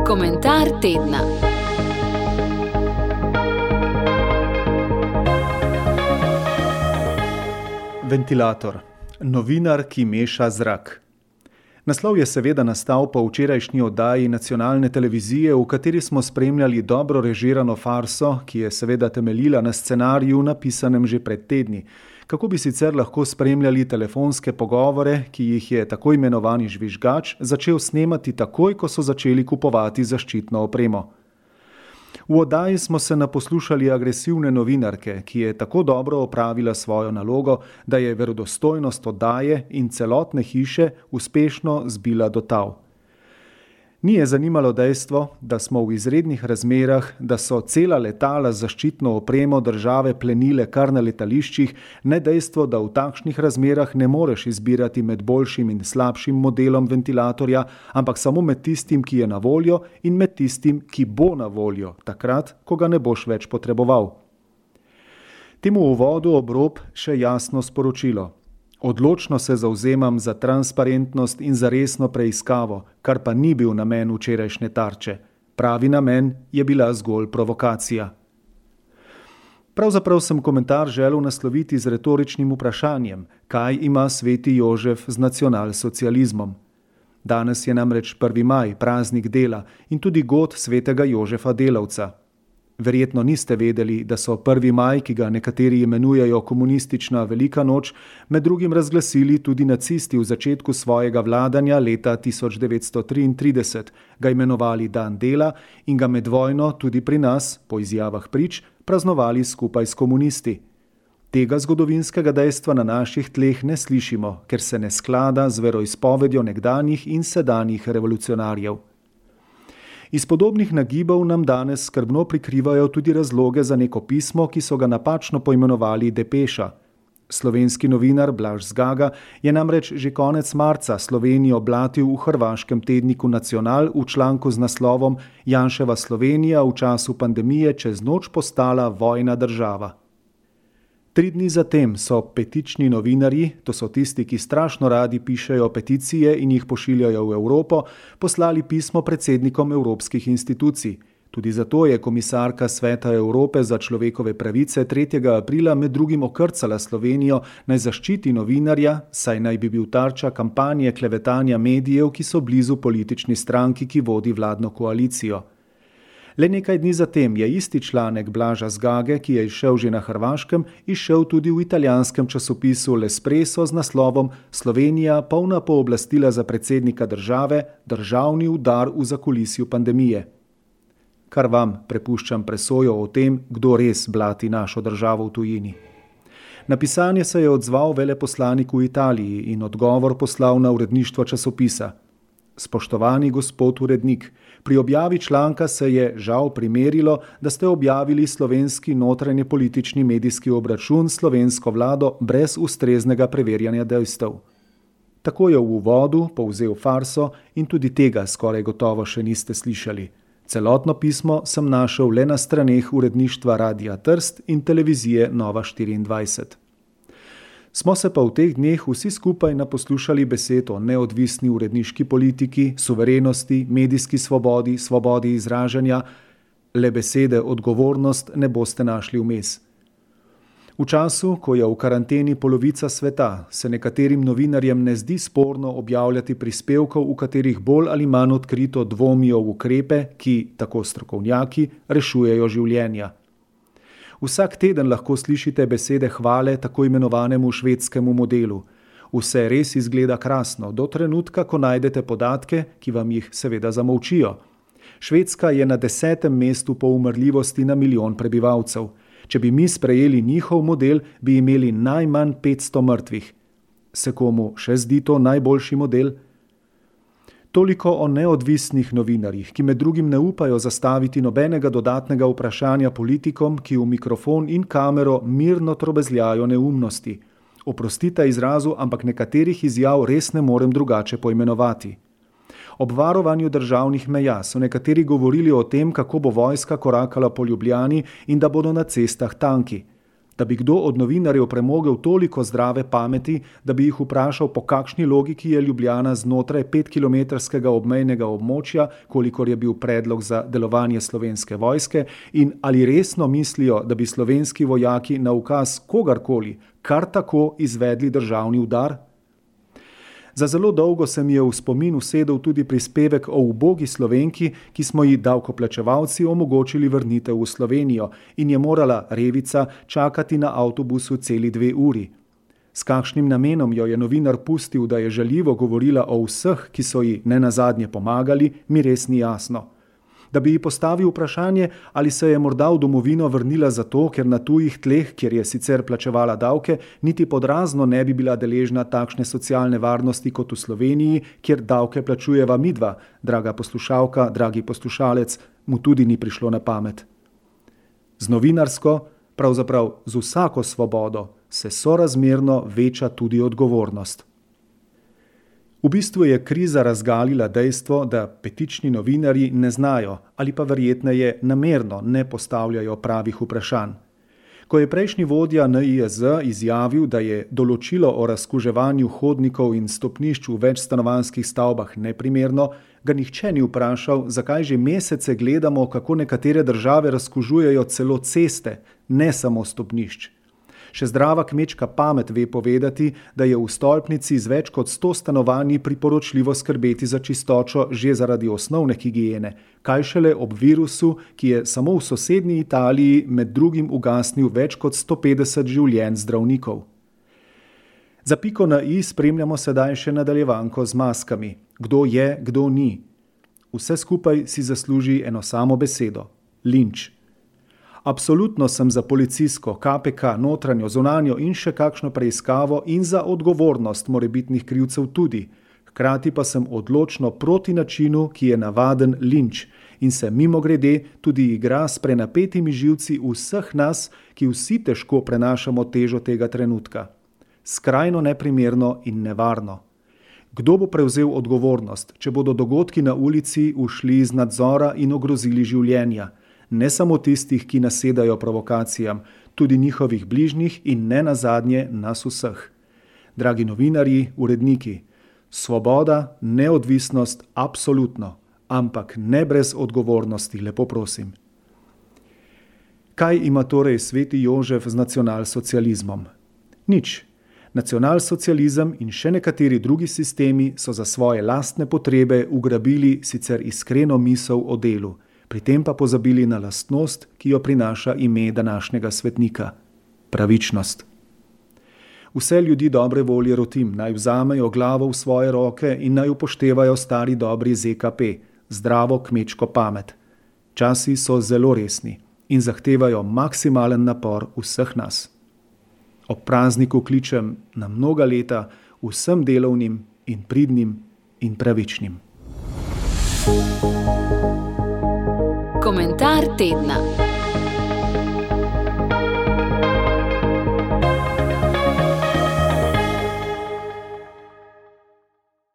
Komentar tedna. Ventilator. Novinar, ki meša zrak. Naslov je seveda nastal po včerajšnji oddaji nacionalne televizije, v kateri smo spremljali dobro režirano farso, ki je seveda temeljila na scenariju, napisanem že pred tedni. Kako bi sicer lahko spremljali telefonske pogovore, ki jih je tako imenovani žvižgač začel snemati takoj, ko so začeli kupovati zaščitno opremo. V oddaji smo se naposlušali agresivne novinarke, ki je tako dobro opravila svojo nalogo, da je verodostojnost oddaje in celotne hiše uspešno zbila do tal. Ni je zanimalo dejstvo, da smo v izrednih razmerah, da so cela letala z zaščitno opremo države plenile kar na letališčih, ne dejstvo, da v takšnih razmerah ne moreš izbirati med boljšim in slabšim modelom ventilatorja, ampak samo med tistim, ki je na voljo, in med tistim, ki bo na voljo, takrat, ko ga ne boš več potreboval. Temu uvodu ob rob še jasno sporočilo. Odločno se zavzemam za transparentnost in za resno preiskavo, kar pa ni bil namen včerajšnje Tarče. Pravi namen je bila zgolj provokacija. Pravzaprav sem komentar želel nasloviti z retoričnim vprašanjem, kaj ima sveti Jožef z nacionalsocializmom. Danes je namreč 1. maj, praznik dela in tudi god svetega Jožefa Delavca. Verjetno niste vedeli, da so 1. maj, ki ga nekateri imenujejo komunistična velika noč, med drugim razglasili tudi nacisti v začetku svojega vladanja leta 1933, ga imenovali dan dela in ga med vojno tudi pri nas, po izjavah prič, praznovali skupaj s komunisti. Tega zgodovinskega dejstva na naših tleh ne slišimo, ker se ne sklada z veroizpovedjo nekdanjih in sedanjih revolucionarjev. Iz podobnih nagibov nam danes skrbno prikrivajo tudi razloge za neko pismo, ki so ga napačno poimenovali depeša. Slovenski novinar Blaž Zgaga je namreč že konec marca Slovenijo blatil v hrvaškem tedniku Nacional v članku z naslovom Janševa Slovenija v času pandemije čez noč postala vojna država. 3 dni zatem so petični novinarji, to so tisti, ki strašno radi pišejo peticije in jih pošiljajo v Evropo, poslali pismo predsednikom evropskih institucij. Tudi zato je komisarka Sveta Evrope za človekove pravice 3. aprila med drugim okrcala Slovenijo naj zaščiti novinarja, saj naj bi bil tarča kampanje klevetanja medijev, ki so blizu politični stranki, ki vodi vladno koalicijo. Le nekaj dni zatem je isti članek Blaža Zgage, ki je izšel že na Hrvaškem, izšel tudi v italijanskem časopisu L'Espresso z naslovom Slovenija polna pooblastila za predsednika države, državni udar v zakulisju pandemije. Kar vam prepuščam presojo o tem, kdo res blati našo državo v tujini. Na pisanje se je odzval veleposlanik v Italiji in odgovor poslal na uredništvo časopisa. Spoštovani gospod urednik, pri objavi članka se je žal primerilo, da ste objavili slovenski notranje politični medijski obračun s slovensko vlado brez ustreznega preverjanja dejstev. Tako je v uvodu povzel farso in tudi tega skoraj gotovo še niste slišali. Celotno pismo sem našel le na straneh uredništva Radia Trst in televizije Nova 24. Smo se pa v teh dneh vsi skupaj naposlušali besed o neodvisni uredniški politiki, suverenosti, medijski svobodi, svobodi izražanja, le besede odgovornost ne boste našli vmes. V času, ko je v karanteni polovica sveta, se nekaterim novinarjem ne zdi sporno objavljati prispevkov, v katerih bolj ali manj odkrito dvomijo v ukrepe, ki, tako strokovnjaki, rešujejo življenja. Vsak teden lahko slišite besede hvale tako imenovanemu švedskemu modelu. Vse res izgleda krasno, do trenutka, ko najdete podatke, ki vam jih seveda zamolčijo. Švedska je na 10. mestu po umrljivosti na milijon prebivalcev. Če bi mi sprejeli njihov model, bi imeli najmanj 500 mrtvih. Se komu še zdi to najboljši model? Toliko o neodvisnih novinarjih, ki med drugim ne upajo zastaviti nobenega dodatnega vprašanja politikom, ki v mikrofon in kamero mirno trobezljajo neumnosti. Oprostite izrazu, ampak nekaterih izjav res ne morem drugače poimenovati. Ob varovanju državnih meja so nekateri govorili o tem, kako bo vojska korakala po Ljubljani in da bodo na cestah tanki. Da bi kdo od novinarjev premogel toliko zdrave pameti, da bi jih vprašal, po kakšni logiki je Ljubljana znotraj 5-kilometrskega obmejnega območja, kolikor je bil predlog za delovanje Slovenske vojske, in ali resno mislijo, da bi slovenski vojaki na ukaz kogarkoli kar tako izvedli državni udar? Za zelo dolgo se mi je v spomin usedel tudi prispevek o ubogi Slovenki, ki smo ji davkoplačevalci omogočili vrnitev v Slovenijo in je morala revica čakati na avtobusu celi 2 uri. S kakšnim namenom jo je novinar pustil, da je žaljivo govorila o vseh, ki so ji nenazadnje pomagali, mi res ni jasno. Da bi ji postavil vprašanje, ali se je morda v domovino vrnila zato, ker na tujih tleh, kjer je sicer plačevala davke, niti pod razno ne bi bila deležna takšne socialne varnosti kot v Sloveniji, kjer davke plačujeva midva, draga poslušalka, dragi poslušalec, mu tudi ni prišlo na pamet. Z novinarsko, pravzaprav z vsako svobodo, se sorazmerno veča tudi odgovornost. V bistvu je kriza razgalila dejstvo, da petični novinarji ne znajo ali pa verjetneje namerno ne postavljajo pravih vprašanj. Ko je prejšnji vodja NIJZ izjavil, da je določilo o razkuževanju hodnikov in stopnišč v večstanovanjskih stavbah neprimerno, ga nihče ni vprašal, zakaj že mesece gledamo, kako nekatere države razkužujejo celo ceste, ne samo stopnišč. Še zdrava kmečka pamet ve povedati, da je v stolpnici z več kot 100 stanovanji priporočljivo skrbeti za čistočo že zaradi osnovne higiene, kaj šele ob virusu, ki je samo v sosednji Italiji med drugim ugasnil več kot 150 življenj zdravnikov. Za piko na i spremljamo sedaj še nadaljevanko z maskami. Kdo je, kdo ni. Vse skupaj si zasluži eno samo besedo – linč. Absolutno sem za policijsko, KPK, notranjo, zunanjo in še kakšno preiskavo in za odgovornost morebitnih krivcev tudi. Hkrati pa sem odločno proti načinu, ki je navaden linč in se mimogrede tudi igra s prenapetimi živci vseh nas, ki vsi težko prenašamo težo tega trenutka. Skrajno neprimerno in nevarno. Kdo bo prevzel odgovornost, če bodo dogodki na ulici ušli iz nadzora in ogrozili življenja? Ne samo tistih, ki nasedajo provokacijam, tudi njihovih bližnjih in ne nazadnje nas vseh. Dragi novinarji, uredniki, svoboda, neodvisnost, absolutno, ampak ne brez odgovornosti, lepo prosim. Kaj ima torej sveti Jožef z nacionalsocializmom? Nič. Nacionalsocializem in še nekateri drugi sistemi so za svoje lastne potrebe ugrabili sicer iskreno misel o delu, pri tem pa pozabili na lastnost, ki jo prinaša ime današnjega svetnika – pravičnost. Vse ljudi dobre volje rotim, naj vzamejo glavo v svoje roke in naj upoštevajo stari dobri ZKP, zdravo kmečko pamet. Časi so zelo resni in zahtevajo maksimalen napor vseh nas. Ob prazniku kličem na mnoga leta vsem delovnim in pridnim in pravičnim. Komentar tedna.